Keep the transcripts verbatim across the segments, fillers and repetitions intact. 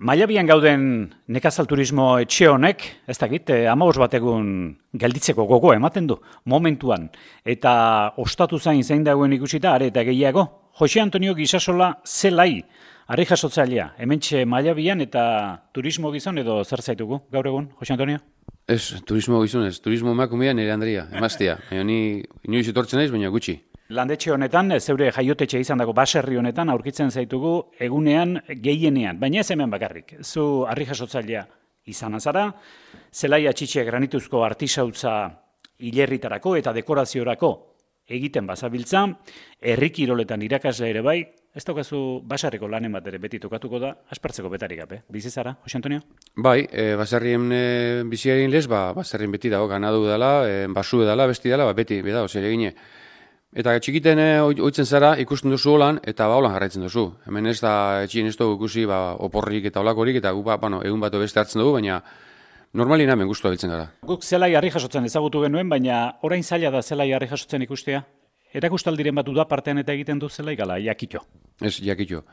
Mailabian gauden nekazal turismo etxe honek, ez dakit, hamabost bat egun gelditzeko gogo ematen du, momentuan. Eta ostatu zain zein dagoen ikusita, are eta gehiago. Jose Antonio Gisasola zelai, harri jasotzailea, hementxe Mailabian eta turismo gizon edo zer zaitugu, gaur egun, Jose Antonio? Ez, turismo gizon ez, turismo emakumea nire Andrea, emaztea. Baina ni inoiz etortzen naiz, baina gutxi. Landetxe honetan, zeure jaiotetxe izan dago baserri honetan, aurkitzen zaitugu egunean gehienean, baina ez hemen bakarrik. Zu harri jasotzailea izan azara, zelaia txitxe granituzko artisautza hilerritarako eta dekoraziorako egiten bazabiltza, herri kiroletan irakasle ere bai, ez daukazu basarriko lanen bat ere beti tokatuko da, aspertzeko betarik gabe. Bizi zara, Jose Antonio? Bai, e, basarrien e, biziaren lez, ba, basarrien beti dago, ganadu dela, e, basu dela, besti dela, ba, beti, beda, zer egine. Eta txikiten e, oitzen zara ikusten duzu holan, eta ba holan jarraitzen duzu. Hemen ez da, etxien ez dugu ikusi, ba, oporrik eta olakorik, eta gu, ba, bueno, egun bat beste hartzen dugu, baina normalien hemen guztua biltzen gara. Guk zelai harri jasotzen ezagutu genuen, baina orain zaila da zelai harri jasotzen ikustea. Erakustaldiren bat da partean eta egiten du zelai gala, jakito. Ez, jakito.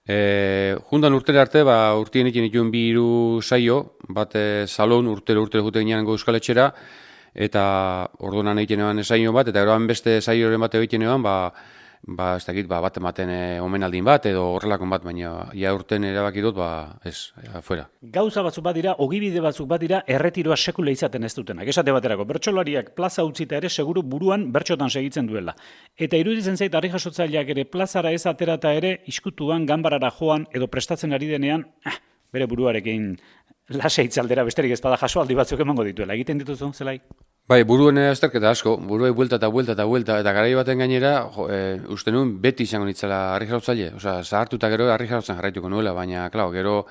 E, jundan urtera arte, ba, urtien ikin ituen bi hiru saio, bat e, salon urtero urtero jute ginean Euskal Etxera, eta orduan egiten eban saio bat, eta eroan beste saioren bat egiten eban, ba, ba, ez dakit, ba, bat ematen e, omenaldin bat, edo horrelakon bat, baina ja urten erabaki dut, ba, ez, afuera. Gauza batzuk bat dira, ogibide batzuk bat dira, erretiroa sekula izaten ez dutenak. Esate baterako, bertsolariak plaza utzita ere seguru buruan bertxotan segitzen duela. Eta iruditzen zait, harri jasotzaileak ere plazara ez aterata ere, iskutuan, ganbarara joan, edo prestatzen ari denean, ah, bere buruarekin lasa itzaldera besterik ez bada jasoaldi batzuk emango dituela. Egiten dituzu, zelai? Bai, buruen azterketa asko, buruei buelta eta buelta eta buelta, eta garai baten gainera, jo, e, uste nuen beti izango nitzela harri jarotzaile, osea, zahartuta gero harri jarotzen jarraituko nuela, baina, klar, gero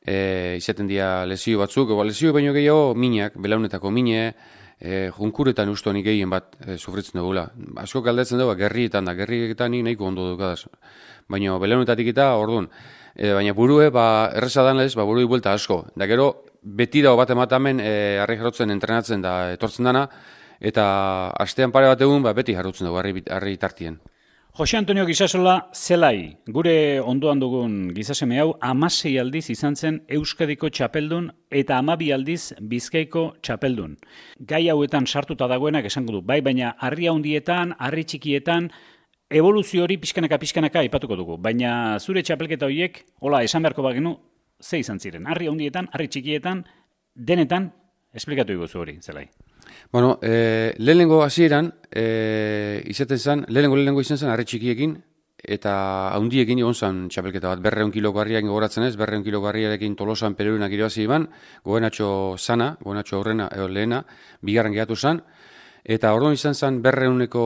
e, izaten dira lesio batzuk, eba, lesio baino gehiago minak, belaunetako mine, e, junkuretan uste honik gehien bat e, sufritzen dugula. Asko galdetzen dugu, gerrietan da, gerrietan nik nahiko ondo dukadaz, baina belaunetatik eta orduan. E, baina burue, ba, erreza dan lez, ba, burui buelta asko. Da gero, beti dago bat ematamen e, harri jarotzen entrenatzen da etortzen dana, eta astean pare bat egun, ba, beti jarrotzen dugu harri, harri tartien. Jose Antonio Gisasola zelai, gure ondoan dugun gizaseme hau, hamasei aldiz izan zen Euskadiko txapeldun eta hamabi aldiz Bizkaiko txapeldun. Gai hauetan sartuta dagoenak esango du, bai, baina harri handietan, harri txikietan, evoluzio hori pixkanaka pixkanaka aipatuko dugu, baina zure txapelketa horiek, hola, esan beharko bagenu, ze izan ziren, harri handietan, harri txikietan, denetan, esplikatu iguzu hori, zelai. Bueno, e, lehenengo hasieran e, izaten zen, lehenengo lehenengo izan zen harri txikiekin, eta handiekin egon zen txapelketa bat, berreun kiloko harriakin gogoratzen ez, berreun kiloko harriarekin Tolosan Pererunak irabazi iban, gobenatxo sana, gobenatxo aurrena, edo lehena, bigarren gehatu zen, eta orduan izan zen berreuneko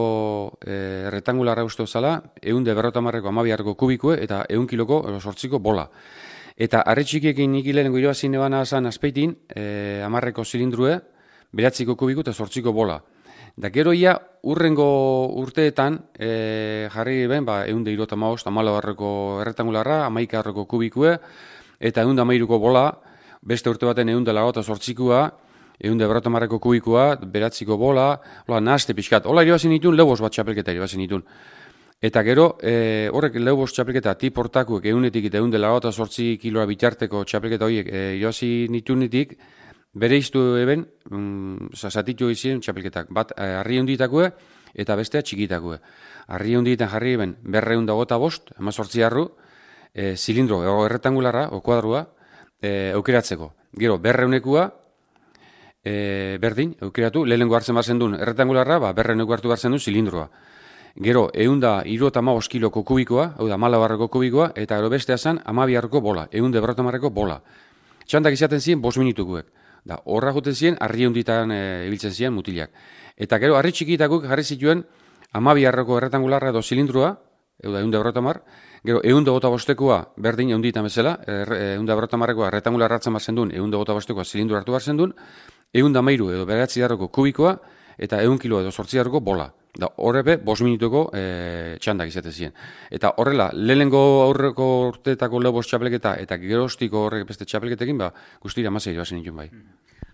e, erretangularra uste zala, eunde berrotamarreko amabiarreko kubikue, eta eun kiloko, edo sortziko bola. Eta harri txikiekin nik lehenengo irabazi nebana zen azpeitin, e, amarreko zilindrue, beratziko kubiku eta sortziko bola. Da gero ia, urrengo urteetan, e, jarri ben, ba, eunde irota maost, amalabarreko erretangularra, amaikarreko kubikue, eta eunde amairuko bola, beste urte baten eunde lagota sortzikua, eunde berrotamarreko kubikua, beratziko bola, hola, nahazte pixkat. Hola irabazi nituen, lehobos bat txapelketa irabazi nituen. Eta gero, e, horrek lehobos txapelketa tip hortakuek eunetik eta eunde lagota sortzi kiloa bitarteko txapelketa horiek e, irabazi nituenetik, bere iztu eben, mm, zatitu izien txapelketak, bat e, harri hunditakue eta bestea txikitakue. Harri hundietan jarri eben berreun dagota bost, ema sortzi harru, e, zilindro, ego erretangularra, o kuadrua, e, aukeratzeko. Gero, berreunekua, e, berdin, aukeratu, lehenengo hartzen barzen duen erretangularra, ba, berreuneko hartu barzen duen zilindroa. Gero, eunda irota maoz kiloko kubikoa, hau da, malabarreko kubikoa, eta gero bestea zen, amabiarroko bola, eunde berrotamarreko bola. Txantak izaten ziren, bos minutukuek. Da, horra juten ziren, harri hunditan e, ibiltzen ziren mutilak. Eta gero, harri txikitakuk jarri zituen, amabiarroko erretangularra edo zilindroa, hau da, eunde berrotamar, gero, eunde gota bostekoa, berdin eunditan bezala, eunde berrotamarrekoa erretangularra hartzen barzen duen, eunde gota bostekoa zilindro hartu barzen duen, eunde amairu edo beratzi darroko kubikoa, eta eun kilo edo sortzi darroko bola. Da, horrebe, bos minutuko e, txandak izaten ziren. Eta horrela, lehenengo aurreko urteetako lehobos txapelketa eta gerostiko horrek beste txapelketekin, ba, guztira amasei bazen nituen bai.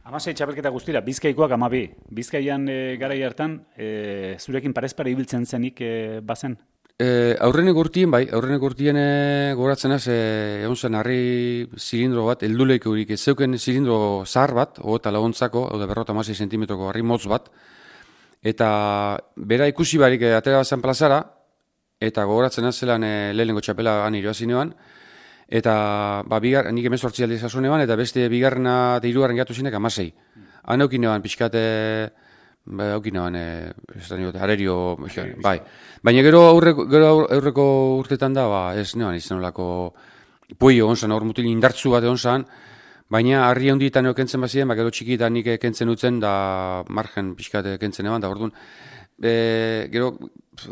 Hamasei txapelketa guztira, Bizkaikoak hamabi. Bizkaian e, garai hartan, e, zurekin parezpare ibiltzen zenik e, bazen? E, aurrenek urtien, bai, aurrenek urtien e, goratzen az, e, egon zen harri zilindro bat, helduleik hurik, ez zeuken zilindro zahar bat, eta laguntzako, hau da berrota hamasei zentimetroko harri motz bat, eta bera ikusi barik e, atera bazan plazara, eta gogoratzen az zelan e, lehenengo txapela han irabazinean, eta ba, bigar, nik emezortzi aldiz asunean, eta beste bigarrena eta hirugarren gatu zinek hamasei. Han eukinean pixkate... Ba, aukinean, e, arerio, bai. Baina gero aurreko, gero aurreko urtetan da, ba, ez nean izan olako puio onzan, aur mutil indartzu bat onzan, baina harri handietan kentzen bazien, ba, gero txikitan nik kentzen utzen, da margen pixkate kentzen eban, da orduan, e, gero,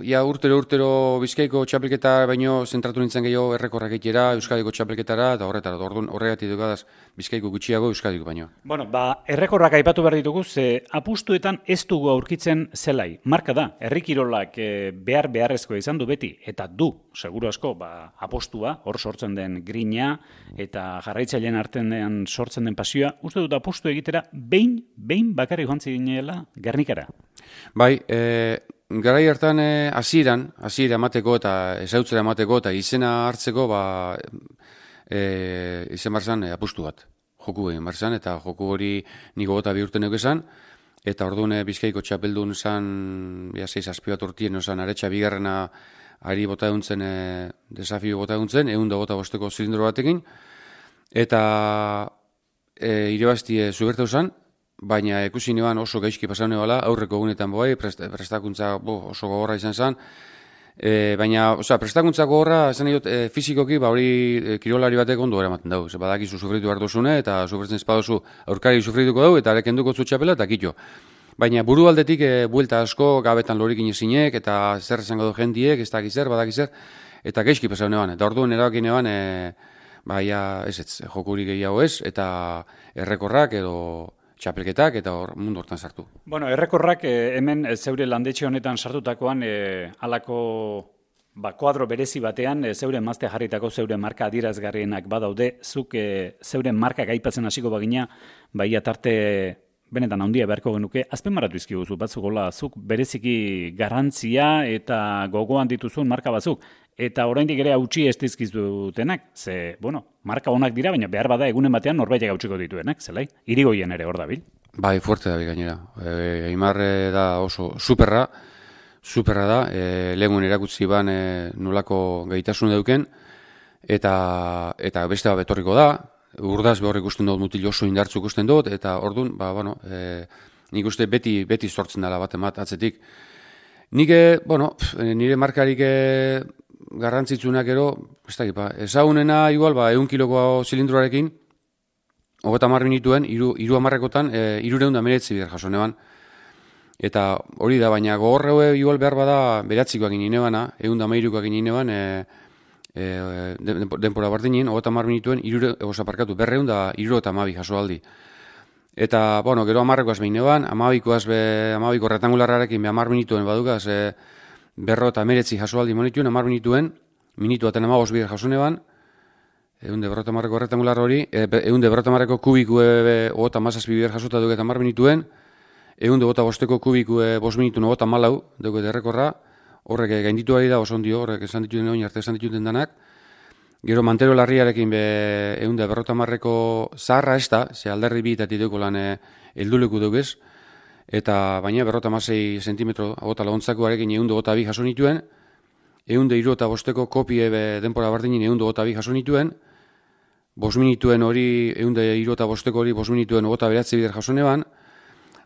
ja urtero urtero Bizkaiko txapelketa baino zentratu nintzen gehiago errekorrak egitera, Euskadiko txapelketara, eta horretara, orduan horregatik dukadaz Bizkaiko gutxiago Euskadiko baino. Bueno, ba, errekorrak aipatu behar ditugu, ze apustuetan ez dugu aurkitzen zelai. Marka da, herrikirolak e, behar beharrezkoa izan du beti, eta du, seguru asko, ba, apostua, hor sortzen den grina, eta jarraitzaileen artean sortzen den pasioa, uste dut apostu egitera, behin, behin bakarrik joan zinela Gernikara. Bai, e, garai hartan hasieran, e, hasiera emateko eta ezautzera emateko eta izena hartzeko, ba, e, izen barzan e, apustu bat. Joku egin barzan, eta joku hori niko gota bi urten esan, eta orduan e, Bizkaiko txapeldun zan, ja, seiz azpi bat urtien, osan, aretsa bigarrena ari bota eguntzen, e, desafio bota eguntzen, egun da bota bosteko zilindro batekin, eta e, irebazti e, zuberteu zan, baina ikusi neban oso gaizki pasau nebala, aurreko egunetan bai, prest, prestakuntza bo, oso gogorra izan zen, e, baina, oza, prestakuntza gogorra, esan dut, e, fizikoki, ba hori e, kirolari batek ondo eramaten dugu, ze badakizu sufritu behar duzune, eta sufritzen espadozu aurkari sufrituko dugu, eta areken duko txapela, eta kito. Baina buru aldetik, e, buelta asko, gabetan lorikin ezinek, eta zer esango du jendiek, ez dakizer, badakizer, eta gaizki pasau neban, eta orduan erabaki neban, e, ba, ja, ez ez, jokurik gehiago ez, eta errekorrak edo txapelketak eta hor mundu hortan sartu. Bueno, errekorrak eh, hemen eh, zeure landetxe honetan sartutakoan eh, alako ba, kuadro berezi batean eh, zeure emazte jarritako zeure marka adierazgarrienak badaude, zuk eh, zeure markak aipatzen hasiko bagina, baia tarte benetan handia beharko genuke, azpimarratu izkiguzu batzuk, hola, zuk bereziki garrantzia eta gogoan dituzun marka batzuk, eta oraindik ere hautsi ez dizkizutenak, ze, bueno, marka onak dira, baina behar bada egunen batean norbaitek hautsiko dituenak, zelai? Irigoien ere hor dabil. Bai, fuerte dabil gainera. E, Aimar da oso superra, superra da, e, lehengun erakutzi ban e, nolako gaitasun dauken, eta, eta beste bat betorriko da, urdaz behor ikusten dut mutil oso indartzu ikusten dut, eta orduan, ba, bueno, e, nik uste beti, beti sortzen dela bat emat atzetik. Nik, bueno, nire markarik garrantzitsunak ero, ez dakit, ba, ezagunena igual, ba, egun kiloko zilindroarekin, hogeta hamar minituen, iru, iru hamarrekotan, e, irureun da meretzi bidar jaso neban. Eta hori da, baina gogorre igual behar bada beratzikoak ginen nebana, egun da mairukoak ginen neban, e, e, denpora bardinen, hogeta hamar minituen, irure, egoza parkatu, berreun da iru eta amabi jaso aldi. Eta, bueno, gero hamarrekoaz behin neban, amabikoaz be, amabiko retangularrarekin be hamar minituen badukaz, e, berro eta meretzi jaso aldi monituen, hamar minituen, minutu aten amagos bidar jaso neban, egun de berrota marreko retangular hori, egun de berrota marreko kubiku ogota mazazpi bidar jasota duket hamar minituen, egun de gota bosteko kubiku bost minituen ogota malau duket errekorra, horrek gainditu ari da, oso ondio, horrek esan dituten oin arte esan dituten danak, gero mantero larriarekin be, egun de berrota marreko zaharra ez da, ze alderri bi eta tideuko lan helduleku dugez, eta baina berrota mazei sentimetro agota laguntzakoarekin egun de gota bi jaso nituen, egun de iru eta bosteko kopie denpora bardinin egun de gota bi jaso nituen, bost minituen hori, egun de iru eta bosteko hori, bost minituen ogota beratzi bider jaso neban.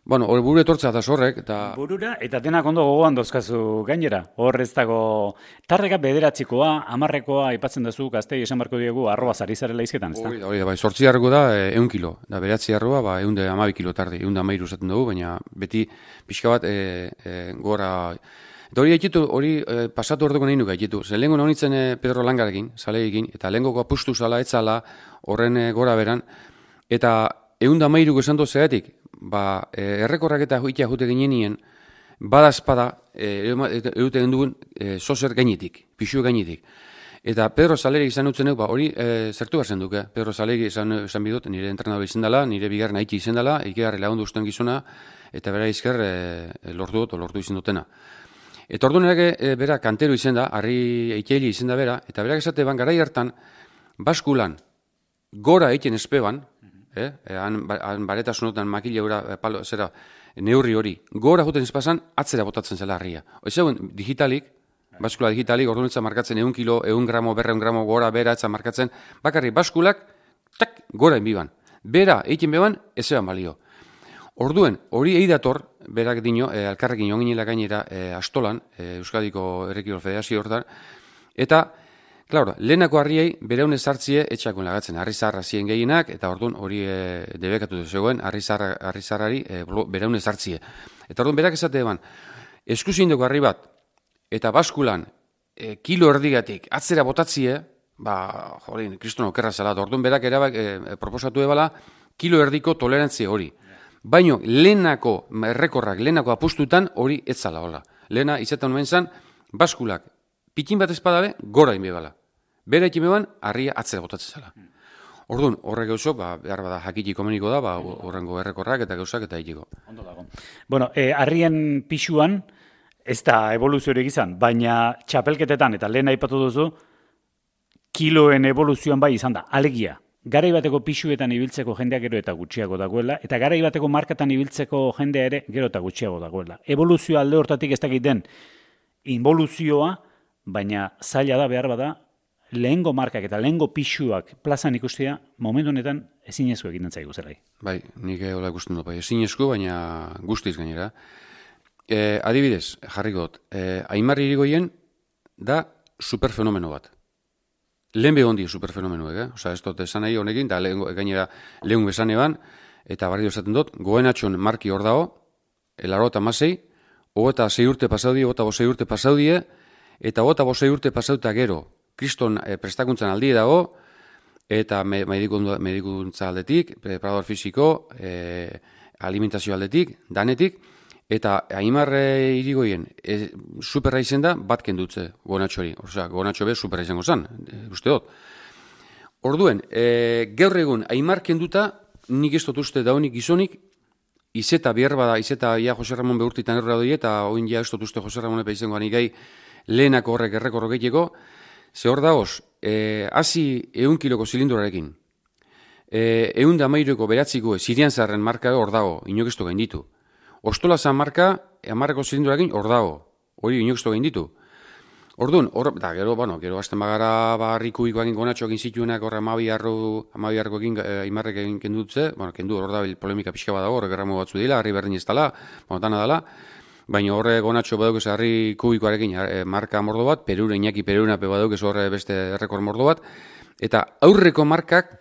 Bueno, hori buru etortza eta zorrek. Eta... Burura, eta denak ondo gogoan dozkazu gainera. Hor ez dago, tarreka bederatzikoa, amarrekoa, aipatzen dazu, gaztei esan barko diegu, arroba zarizarela izketan, ez da? Hori da, hori da, bai, sortzi harreko da, egun kilo. Da, beratzi arroba, ba, egun de amabi kilo tarde, egun de amairu zaten dugu, baina beti pixka bat e, e, gora... Eta hori gaitu, hori e, pasatu orduko nahi nuke gaitu. Zer lehenko nonitzen e, Pedro Langarekin, saleekin, eta lehenko apustu zala, etzala, horren e, gora beran, eta egun da mairuko esan dut zeratik, ba, e, errekorrak eta itea jute ginean, bada espada, e, euten dugun, e, sozer gainetik, pixu gainetik. Eta Pedro Zalerik izan utzen ba, hori e, zertu behar zen duke. Pedro Zalerik izan, izan bidot, nire entrenador izan dela, nire bigarren haiti izan dela, ikerarri lagundu usten gizuna, eta bera izker e, lortu dut, lortu izan dutena. Eta orduan ere, e, bera, kantero izen da, harri eiteili izen da bera, eta berak esate ban, garai hartan, baskulan, gora egiten espeban, eh, han, han baretasunotan makile gura, palo, zera, neurri hori, gora juten espazan, atzera botatzen zela harria. Oizegun, digitalik, baskula digitalik, orduan etza markatzen egun kilo, egun gramo, berreun gramo, gora, bera, etza markatzen, bakarri baskulak, tak, gora enbiban. Bera, egiten beban, ez eban balio. Orduen, hori eidator, berak dino, e, alkarrekin onginela gainera e, astolan, e, Euskadiko Errekiro Federazio hortan, eta, claro, lehenako harriei bereune sartzie etxakun lagatzen, harri zarra zien gehienak, eta orduan hori e, debekatu zegoen, harri zarrari e, bereune sartzie. Eta orduan, berak esate eban, eskuzindoko harri bat, eta baskulan, e, kilo erdigatik, atzera botatzie, ba, jolin, kristono okerra zela, orduan berak erabak e, proposatu ebala, kilo erdiko tolerantzia hori. Baino, lehenako errekorrak, lehenako apustutan hori etzala hola. Lehena, izaten nuen zan, baskulak, pikin bat espadabe, gora inbebala. Bera ikin beban, harria atzera botatzen zela. Orduan, horrek gauzok, ba, behar bada jakiti komuniko da, ba, horrengo errekorrak eta gauzak eta itiko. Ondo dago. Bueno, eh, harrien pixuan, ez da evoluziorik izan, baina txapelketetan, eta lehen aipatu duzu, kiloen evoluzioan bai izan da, alegia. Garai bateko pixuetan ibiltzeko jendea gero eta gutxiago dagoela, eta garai bateko markatan ibiltzeko jendea ere gero eta gutxiago dagoela. Evoluzioa alde hortatik ez dakit den involuzioa, baina zaila da behar bada, lehengo markak eta lehengo pixuak plazan ikustea, momentu honetan ezinezko egiten zaigu zelai. Bai, nik hola ikusten dut, bai, ezinezko, baina guztiz gainera. E, adibidez, jarrikot, e, Aimar Irigoyen da superfenomeno bat. Lehen behon di superfenomenoek, eh? Osa, ez dut esan nahi honekin, da lehen, gainera lehun bezan eban, eta barri dozaten dut, goenatxon marki hor dago, elaro eta masei, ogota zei urte pasaudie, ogota bosei urte pasaudie, eta ogota bosei urte pasauta gero, kriston e, prestakuntzan aldie dago, eta me, medikuntza aldetik, preparador fisiko, e, alimentazio aldetik, danetik, eta Aimar Irigoyen e, superra izen da bat kendutze gonatxori. Osea, gonatxo be superra izango zen, e, uste dut. Orduen, e, gaur egun Aimar kenduta, nik ez dut uste daunik gizonik, izeta behar bada, izeta ja Jose Ramon behurtitan erra doi, eta oin ja ez dut uste Jose Ramon epa izango anigai lehenako horrek errekorro gehiago, ze hor dagoz, e, hasi eun kiloko zilindurarekin, e, eun da mairoko beratziko Sirian zarren marka hor dago, inok ez du gain ditu. Ostola zan marka, amarreko zilindurarekin hor dago, hori inok ez du gain ditu. Orduan, hor, da, gero, bueno, gero azten bagara, ba, rikuiko egin gonatxo egin zituenak, horre amabiarro, amabiarko egin, eh, Aimarrek egin kendutze, bueno, kendu hor da, polemika pixka badago, horre gerramo batzu dila, harri berdin ez dala, bueno, dana dala, baina horre gonatxo baduk ez harri kubikoarekin eh, marka mordo bat, perure, inaki perure baduk ez horre beste errekor mordo bat, eta aurreko markak,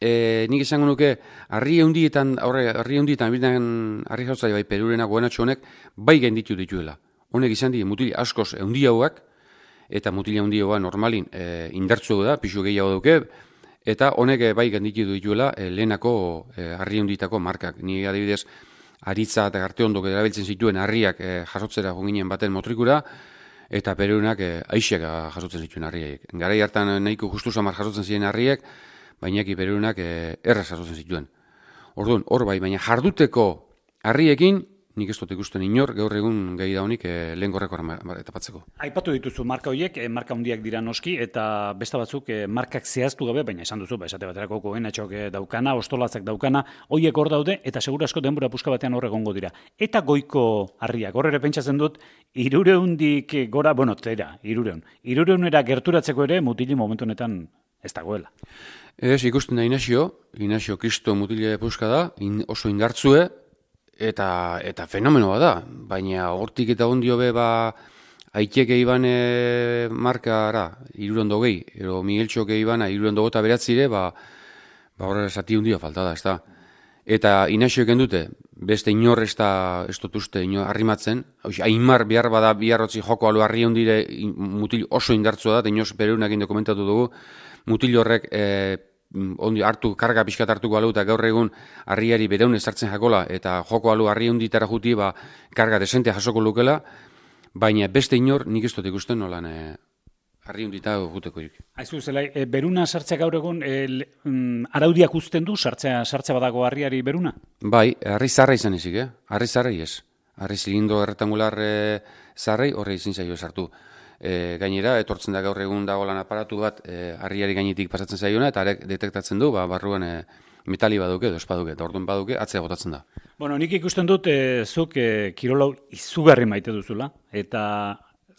e, nik esango nuke, harri eundietan, horre, harri eundietan, bildan harri jautzai bai perurena gonatxo honek, bai gainditu dituela. Honek izan di, mutil askoz eundiauak, eta mutil eundioa normalin e, indartzu da, pixu gehiago duke, eta honek bai gainditu dituela e, lehenako e, harri eunditako markak. Ni adibidez, aritza eta garte ondok erabiltzen zituen harriak e, jasotzera jonginen baten motrikura, eta perurenak e, aixek jasotzen zituen harriak. Garai hartan nahiko justu samar jasotzen ziren harriak, baina eki perurenak e, erraz jasotzen zituen. Orduan, hor bai, baina jarduteko harriekin, nik ez dut ikusten inor, gaur egun gai da honik eh, lehen gorrekoa etapatzeko. Aipatu dituzu marka horiek, eh, marka handiak dira noski, eta beste batzuk eh, markak zehaztu gabe, baina esan duzu, ba, esate baterako goenatxok eh, daukana, ostolatzak daukana, horiek hor daude, eta segura asko denbora puska batean hor egongo dira. Eta goiko harriak, hor ere pentsatzen dut, irureundik gora, bueno, tera, irureun. Irureunera gerturatzeko ere mutili momentu honetan ez dagoela. Ez, ikusten da Inazio, Inazio Kristo mutile puska da, in, oso indartzue, Eta, eta fenomenoa da, baina hortik eta ondio be ba Aiteke ibane markara, irurondo gehi, ero Migueltxoke ibana, irurondo gota beratzire, ba, ba horre zati hundio falta da, ez da. Eta Inazioeken dute, beste inor ez da, ez dut uste, inor arrimatzen, Aimar behar bada biharrotzi joko alu harri hundire mutil oso indartzua da, eta inoz perunakin dokumentatu dugu, mutil horrek e, ondi hartu, karga pixkat hartuko alu, eta gaur egun harriari bereun ezartzen jakola, eta joko alu harri hunditara juti, ba, karga desente jasoko lukela, baina beste inor nik ez dut ikusten nolan e, harri hundita juteko irik. Aizu, zelai, e, beruna sartzea gaur egun, e, mm, araudiak uzten du, sartzea, sartzea badago harriari beruna? Bai, harri zarra izan ezik, eh? Harri zarra ez. Harri zilindo erretangular e, zarrei horre izin zaio sartu. E, gainera, etortzen da gaur egun dagoelan aparatu bat e, harriari gainetik pasatzen zaiona, eta arek detektatzen du, ba, barruan e, metali baduke, edo espaduke, eta orduan baduke, atzea botatzen da. Bueno, nik ikusten dut, e, zuk e, kirolau izugarri maite duzula, eta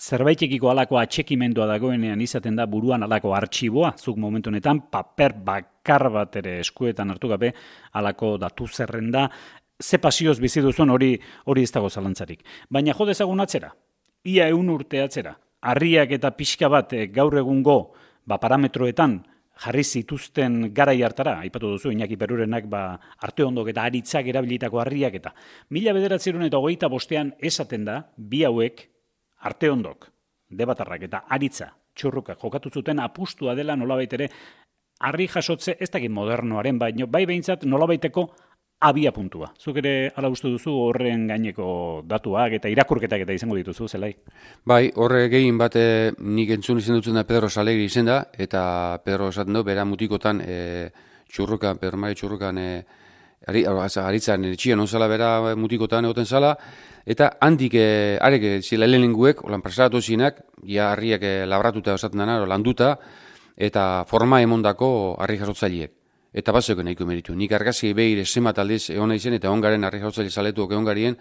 zerbaitekiko alako atxekimendua dagoenean izaten da buruan alako artxiboa, zuk momentu honetan paper bakar bat ere eskuetan hartu gabe alako datu zerrenda, ze pasioz bizi duzuen hori hori ez dago zalantzarik. Baina jo dezagun atzera, ia ehun urte atzera, harriak eta pixka bat e, gaur egungo ba, parametroetan jarri zituzten garai hartara, aipatu duzu, Iñaki Perurenak ba, Arteondok eta Aritzak erabilitako harriak eta mila bederatziehun eta hogeita bostean esaten da, bi hauek Arteondok, Debatarrak eta Aritza txurruka jokatu zuten apustua dela nolabait ere harri jasotze ez dakit modernoaren, baino bai behintzat nolabaiteko abia puntua. Zuk ere ala uste duzu horren gaineko datuak eta irakurketak eta izango dituzu, zelai? Bai, horre gehien bat e, nik entzun izan dutzen da Pedro Salegri izen da, eta Pedro esaten du, bera mutikotan e, txurrukan, Pedro Mari txurrukan e, ari, aritzan etxian onzala bera mutikotan egoten zala, eta handik e, arek zila lehenenguek, olan presaratu zinak, ja harriak e, labratuta osaten dena, landuta, eta forma emondako harri jasotzaileek. Eta bat zeuken nahiko meritu. Nik argazki behir esemat aldiz egon izen, eta ongaren harri jautzaile zaletuak egon garien,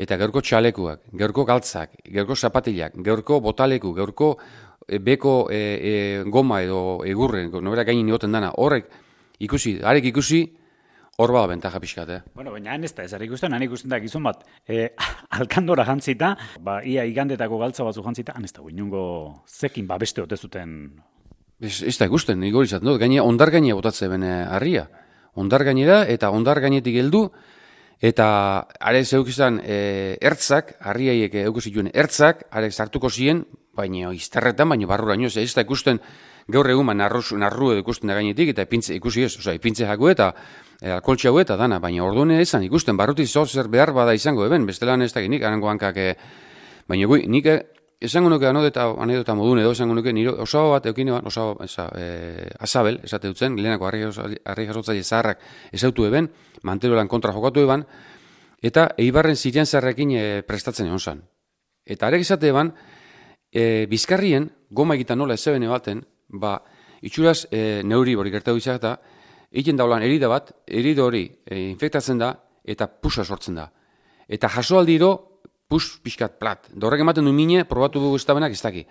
eta gaurko txalekuak, gaurko galtzak, gaurko zapatilak, gaurko botaleku, gaurko e, beko e, e, goma edo egurren, nobera gainin egoten dana, horrek ikusi, harek ikusi, hor bada bentaja pixkat, eh? Bueno, baina han ez da, ez ikusten, han ikusten da gizon bat, e, alkandora jantzita, ba, ia igandetako galtza batzu jantzita, han ez da, guinungo zekin babeste ote zuten. Ez, ez da ikusten, nik hori zaten dut, gaine ondar gainea botatze bene harria. Ondar gainera eta ondar gainetik heldu, eta are zeukizan e, ertzak, harriaiek eukizituen ertzak, are sartuko ziren, baina izterretan, baina barruraino, ez da ikusten gaur egun, narru, narru edo ikusten da gainetik, eta ipintze, ikusi ez, oza, ipintze jaku eta e, alkoltxe hau eta dana, baina orduan ezan ikusten, barruti zozer behar bada izango, eben, bestelan ez da nik, arango hankak, e, baina gui, nik esango nuke anodeta, anedota modun edo esango nuke, nire osaba bat eukine bat, osaba, eza, e, azabel, esate dutzen, lehenako harri jasotzaile zaharrak ezautu eben, manterolan kontra jokatu eban, eta eibarren ziren zarrekin e, prestatzen egon zan. Eta arek izate eban, e, bizkarrien, goma egiten nola ezebene baten, ba, itxuraz e, neuri hori gertatu izak eta, egiten daulan erida bat, erida hori e, infektatzen da, eta pusa sortzen da. Eta jaso aldiro, pus pixkat plat. Dorrek ematen du mine, probatu dugu estabenak ez daki.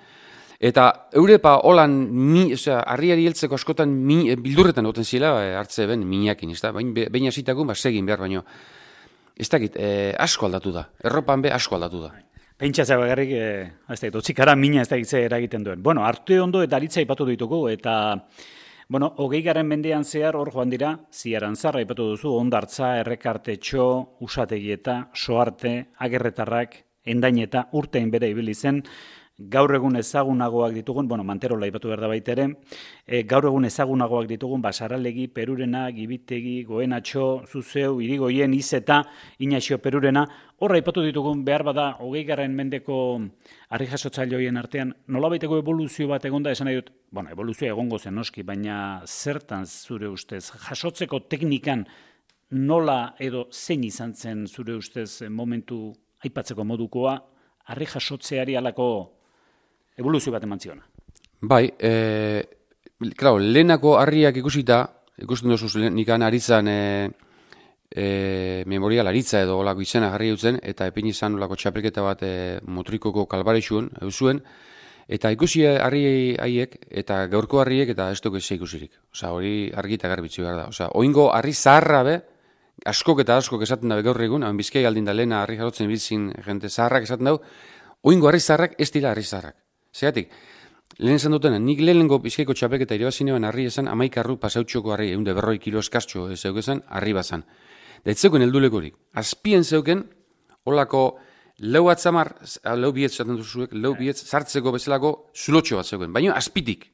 Eta eurepa holan, mi, osea, harriari heltzeko askotan mi, bildurretan oten zila e, hartze ben minakin, ez da? Baina zitakun, ba, segin behar, baino. Ez dakit, e, asko aldatu da. Erropan be asko aldatu da. Pentsatzea bagarrik, e, ez dakit, otzikara mina ez dakit ze eragiten duen. Bueno, Arteondo eta Aritza ipatu ditugu, eta bueno, hogei garen mendean zehar hor joan dira, Ziarantzarra ipatu duzu, Ondartza, Errekartetxo, Usategieta, Soarte, Agerretarrak, Endaineta, urtein bere ibili zen, gaur egun ezagunagoak ditugun, bueno, Manterola ipatu behar da baita ere, e, gaur egun ezagunagoak ditugun, Basaralegi, Perurena, Gibitegi, Goenatxo, Zuzeu, Irigoien, Izeta, Inaxio Perurena, horra ipatu ditugun behar bada, hogei garren mendeko harri jasotzaileoien artean, nolabaiteko evoluzio bat egonda esan nahi dut, bueno, evoluzioa egongo zen noski, baina zertan zure ustez, jasotzeko teknikan nola edo zein izan zen zure ustez momentu aipatzeko modukoa, harri jasotzeari alako evoluzio bat eman ziona. Bai, e, claro, lehenako harriak ikusita, ikusten duzuz nikan aritzan e, e, memorial aritza edo olako izena jarri dutzen, eta epin izan olako txapelketa bat e, motrikoko kalbarexuen, eusuen, eta ikusi harri haiek, eta gaurko harriek, eta ez dugu eze ikusirik. Osa, hori argi eta garbitzu behar da. Osa, oingo harri zaharra be, askok eta askok esaten dabe gaur egun, hain bizkai aldin da lehena harri jarotzen bizin jente zaharrak esaten dau, oingo harri zaharrak ez dira harri zaharrak. Zegatik, lehen esan dutena, nik lehenengo bizkaiko txapelketa irabazinean harri esan amaik arru pasautxoko harri, egun de berroi kilo eskastxo zeukezan, harri bazan. Da ez zeuken heldulekorik. Azpien zeuken, holako lau atzamar, lau bietz zaten duzuek, lau bietz sartzeko bezalako zulotxo bat zeuken, baina azpitik.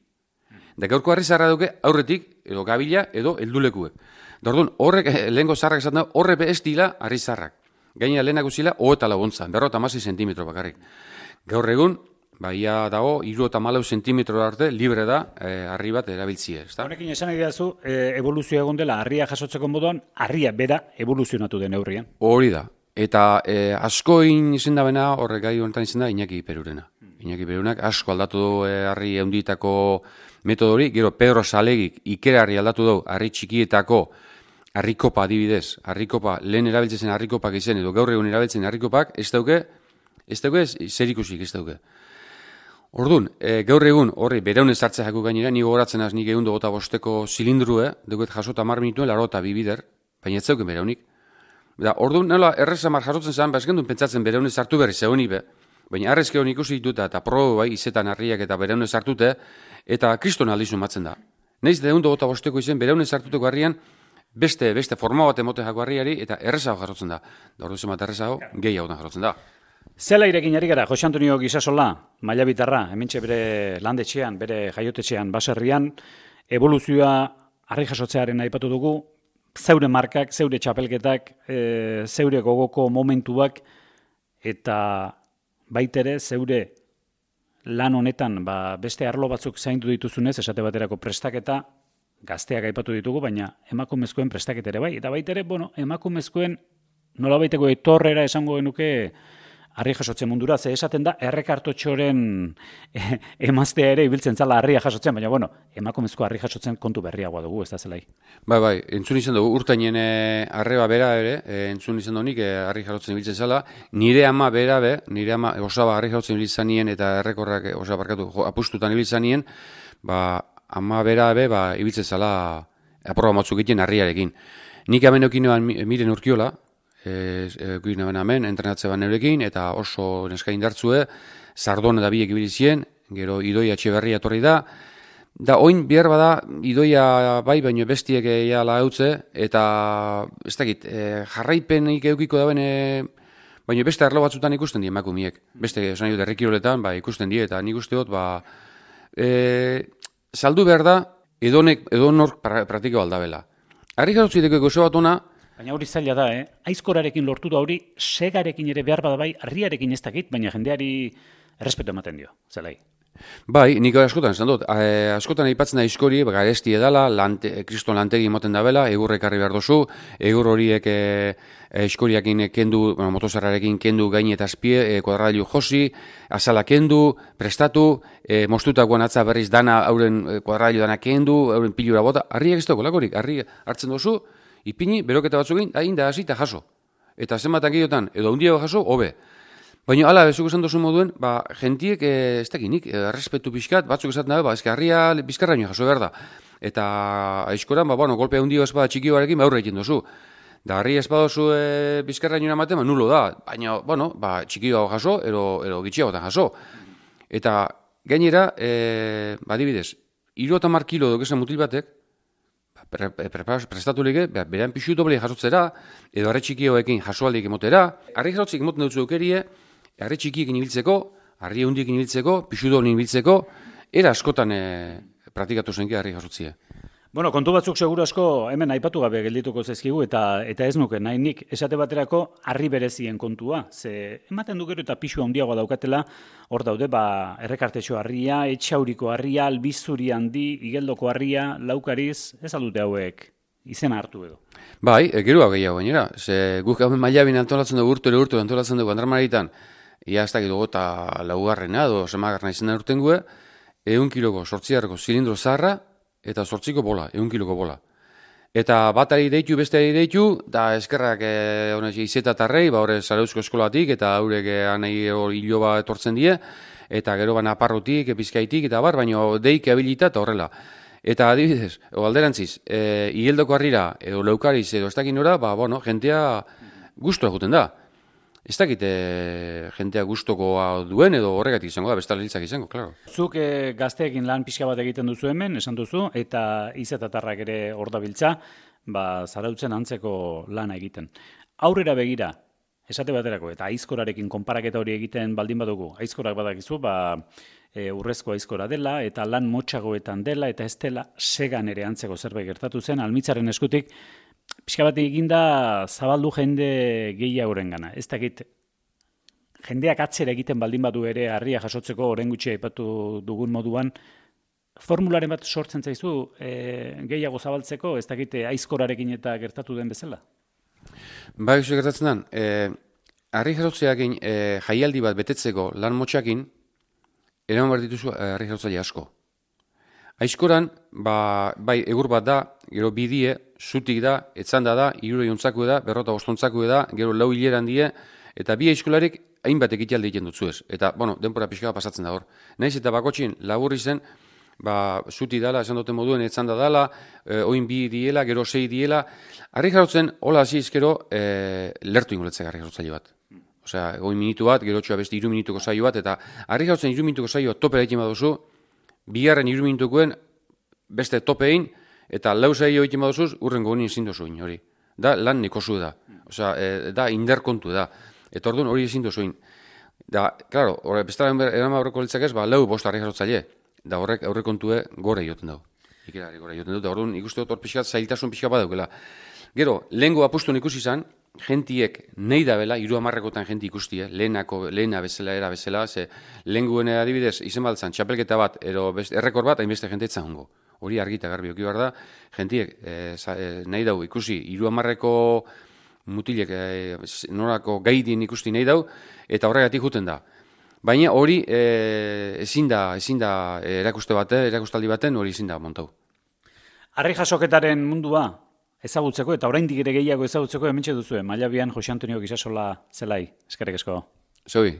Da gaurko harri zaharra duke aurretik, edo gabila, edo heldulekuek. Da orduan, horrek, lehenko zaharrak esaten da, horrepe ez dila harri zaharrak. Gaina lehenak uzila, hoeta laguntzan, berrota amasi zentimetro bakarrik. Gaur egun, baia dago, hiru eta malau zentimetro arte, libre da, e, harri bat erabiltzia. Honekin esan nahi dazu, e, evoluzioa egon dela, harria jasotzeko moduan, harria bera evoluzionatu den neurrian. Hori da, Eta e, askoin izen da bena, horre gai honetan izen da, Iñaki Perurena. Iñaki Perunak asko aldatu du e, harri eunditako metodori, gero Pedro Salegik ikerarri aldatu du harri txikietako harrikopa adibidez, harrikopa lehen erabiltzen zen harrikopak izen, edo gaur egun erabiltzen harrikopak, ez dauke, ez dauke, zer ikusik ez dauke. Orduan, e, gaur egun horri bereunez hartzea jaku gainera, ni gogoratzen az nik egun dugota bosteko zilindrue, duket jasota mar minutuen laro eta bibider, baina ez zeuken bereunik. Da, orduan, nola, errezamar jasotzen zen, ba, ez gendun pentsatzen bereunez hartu berri zeunik be, baina arrezke honi ikusi dituta eta probe bai, izetan harriak eta bereunez hartute, eta kriston aldizu matzen da. Neiz da egun dugota bosteko izen, bereunez hartuteko harrian, beste, beste forma bat emote jako harriari, eta errezago jasotzen da. Da, orduan zemat errezago, gehiago da jasotzen da. Zela irekin ari gara, Jose Antonio Gisasola, maila bitarra, hementxe bere landetxean, bere jaiotetxean, baserrian, evoluzioa harri jasotzearen aipatu dugu, zeure markak, zeure txapelketak, e, zeure gogoko momentuak, eta baitere zeure lan honetan ba, beste arlo batzuk zaindu dituzunez, esate baterako prestaketa, gazteak aipatu ditugu, baina emakumezkoen prestaketa ere bai, eta baitere, bueno, emakumezkoen nolabaiteko etorrera esango genuke, harri jasotzen mundura, ze esaten da, errekartotxoren eh, emaztea ere ibiltzen zala harria jasotzen, baina, bueno, emakumezko harri jasotzen kontu berriagoa dugu, ez da zelai. Bai, bai, entzun izan dugu, urtainen arreba bera ere, e, entzun izan dugu nik, harri jasotzen ibiltzen zala, nire ama bera be, nire ama osaba harri jasotzen ibiltzen nien, eta errekorrak osaba barkatu apustutan ibiltzen nien, ba, ama bera be, ba, ibiltzen zala aproba matzuk egiten harriarekin. Nik hemen okinoan miren urkiola, egin e, hemen, entrenatze ban neurekin, eta oso neska indartzue, Sardona da biek ibilizien, gero Idoia Etxeberria etorri da, da oin behar bada, Idoia bai, baino bestiek eala eutze, eta ez dakit, e, jarraipenik eukiko da bene, baino beste arlo batzutan ikusten die emakumiek, beste esan dut errekiroletan, ba, ikusten die, eta nik uste dut, ba, e, saldu behar da, edonek, edonor pra, praktiko aldabela. Harri jarotzuiteko gozo bat ona, baina hori zaila da, eh? Aizkorarekin lortu da hori, segarekin ere behar bada bai, harriarekin ez dakit, baina jendeari errespetu ematen dio, zelai. Bai, nik askotan esan dut, e, askotan aipatzen da aizkori, garesti edala, lante, kriston lantegi emoten da bela, egurre ekarri behar dozu, egur horiek e, aizkoriakin kendu, bueno, motosarrarekin kendu gaine eta azpie, e, kuadralio josi, azala kendu, prestatu, e, mostutakoan atza berriz dana, hauren e, kuadralio dana kendu, hauren pilura bota, harriak ez dago lakorik, harri hartzen dozu, ipini, beroketa batzuk egin, hain da hasi eta jaso. Eta zenbatan gehiotan, edo hundiago jaso, hobe. Baina, ala, bezuk esan dozu moduen, ba, gentiek, e, ez dakinik, e, errespetu pixkat, batzuk esaten dabe, ba, ezke harria bizkarraino jaso behar da. Eta aizkoran, ba, bueno, golpea hundio espada txikioarekin, ba, aurre egin dozu. Da, harri espadozu e, bizkarraino eramaten, ba, nulo da. Baina, bueno, ba, txikioago jaso, ero, ero gitxiagotan jaso. Eta, gainera, e, ba, dibidez, hiru eta hamar kilo dokezen mutil batek, Pre, pre, prestatu lege, berean pixu doble jasotzera, edo harri txikioekin jasoaldik emotera. Harri jasotzik emoten dutzu eukerie, harri txikiekin ibiltzeko, harri hundiekin ibiltzeko, pixu doble ibiltzeko, era askotan e, praktikatu zenke harri jasotzia. Bueno, kontu batzuk seguru asko hemen aipatu gabe geldituko zaizkigu eta eta ez nuke nahi nik esate baterako harri berezien kontua. Ze ematen du gero eta pisu handiagoa daukatela, hor daude ba errekartetxo harria, etxauriko harria, albizuri handi, igeldoko harria, laukariz, ez aldute hauek izena hartu edo. Bai, e, gero gehiago gainera. Ze guk hemen mailabin antolatzen dugu urte urte antolatzen dugu Andramaraitan, ia ez dakit dugu eta laugarrena edo semagarrena izena urten gue, ehun kiloko sortziarreko zilindro zaharra, eta sortziko bola, ehun kiloko bola. Eta batari deitu, besteari deitu, da eskerrak e, izetatarrei, ba horre Zarauzko eskolatik, eta haurek anei hiloba etortzen die, eta gero ban aparrotik, epizkaitik, eta bar, baina deik abilita eta horrela. Eta adibidez, o alderantziz, e, igeldoko harrira, edo leukariz, edo ez dakin nora, ba, bueno, jentea guztua eguten da. Ez dakite jentea gustokoa duen edo horregatik izango da, bestala hiltzak izango, klaro. Zuk e, gazteekin lan pixka bat egiten duzu hemen, esan duzu, eta izetatarrak ere hor dabiltza, ba, Zarautzen antzeko lana egiten. Aurrera begira, esate baterako, eta aizkorarekin konparaketa hori egiten baldin badugu, aizkorak badakizu, ba, e, urrezko aizkora dela, eta lan motxagoetan dela, eta ez dela segan ere antzeko zerbait gertatu zen, Almitzaren eskutik, pixka bat eginda zabaldu jende gehiagoren gana. Ez dakit, jendeak atzera egiten baldin badu ere harria jasotzeko orain gutxi aipatu dugun moduan, formularen bat sortzen zaizu e, gehiago zabaltzeko, ez dakit aizkorarekin eta gertatu den bezala? Bai, iso gertatzen den, e, harri jarotzeakin e, jaialdi bat betetzeko lan motxakin, eraman behar dituzu harri jarotzaile asko. Aizkoran, ba, bai, egur bat da, gero bidie, zutik da, etzanda da, irure jontzako da, berrota ostontzako da, gero lau hileran die, eta bi aizkolarik hainbat ekitaldi egiten dutzu ez. Eta, bueno, denpora pixka bat pasatzen da hor. Naiz eta bakotxin, laburri zen, ba, zuti dala, esan duten moduen, etzanda dala, e, oin bi diela, gero sei diela. Harri jarotzen, hola hasi izkero, e, lertu ingoletzek harri jarotzaile bat. Osea, oin minutu bat, gero txoa beste iru minutuko saio bat, eta harri jarotzen iru minutuko saioa topera egiten baduzu, bigarren iru minutukoen beste topein, eta lau saio egiten baduzuz, urrengo honi ezin dozuin hori. Da, lan nekozu da. Osea, e, da, inderkontu da. Eta orduan hori ezin dozuin. Da, klaro, horre, bestaren eraman aurreko litzak ez, ba, lau bost harri jarotzaile. Da horrek aurrekontue gore joten dugu. Ikerari gore joten dugu. Da orduan ikuste dut hor pixkat zailtasun pixka badaukela. Gero, lehengo apustun ikusi izan, gentiek nahi da bela, hiru hamarrekotan jenti ikustie, lehenako, lehena bezala, era bezala, ze lehenguen adibidez, izen baltzan, txapelketa bat, ero best, errekor bat, hainbeste jenteetzen hongo. Hori argita garbi oki behar da, gentiek e, za, e, nahi dau ikusi, hiru hamarreko mutilek e, norako gaidin ikusti nahi dau, eta horregatik juten da. Baina hori e, ezin da, ezin da erakuste bate, erakustaldi baten hori ezin da montau. Harri jasoketaren mundua ezagutzeko eta oraindik ere gehiago ezagutzeko hementxe duzue. Mailabian Jose Antonio Gisasola zelai. Eskerrik asko. Zoi.